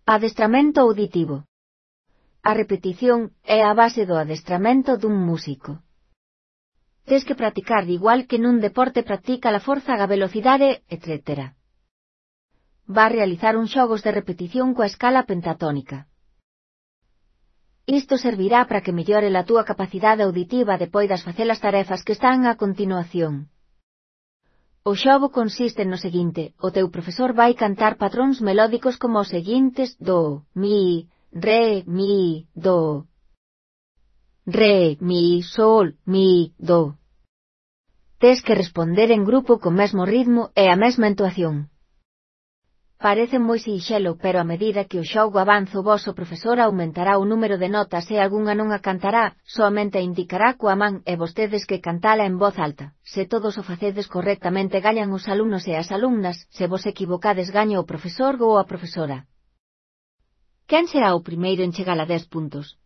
Adestramento auditivo. A repetición é a base do adestramento dun músico. Tes que practicar igual que nun deporte practica a forza, a velocidade, etc. Va realizar uns xogos de repetición coa escala pentatónica. Isto servirá para que mellore a túa capacidade auditiva de poidas facer as tarefas que están a continuación. O xogo consiste no seguinte: o teu profesor vai cantar patróns melódicos como os seguintes: do, mi, re, mi, do. Re, mi, sol, mi, do. Tes que responder en grupo co mesmo ritmo e a mesma entoación. Parece moi sinxelo, pero a medida que o xogo avanza o voso profesor aumentará o número de notas e algunha non a cantará, soamente a indicará coa man e vostedes que cantala en voz alta. Se todos o facedes correctamente gañan os alumnos e as alumnas, se vos equivocades gaña o profesor ou a profesora. Quen será o primeiro en chegar a 10 puntos?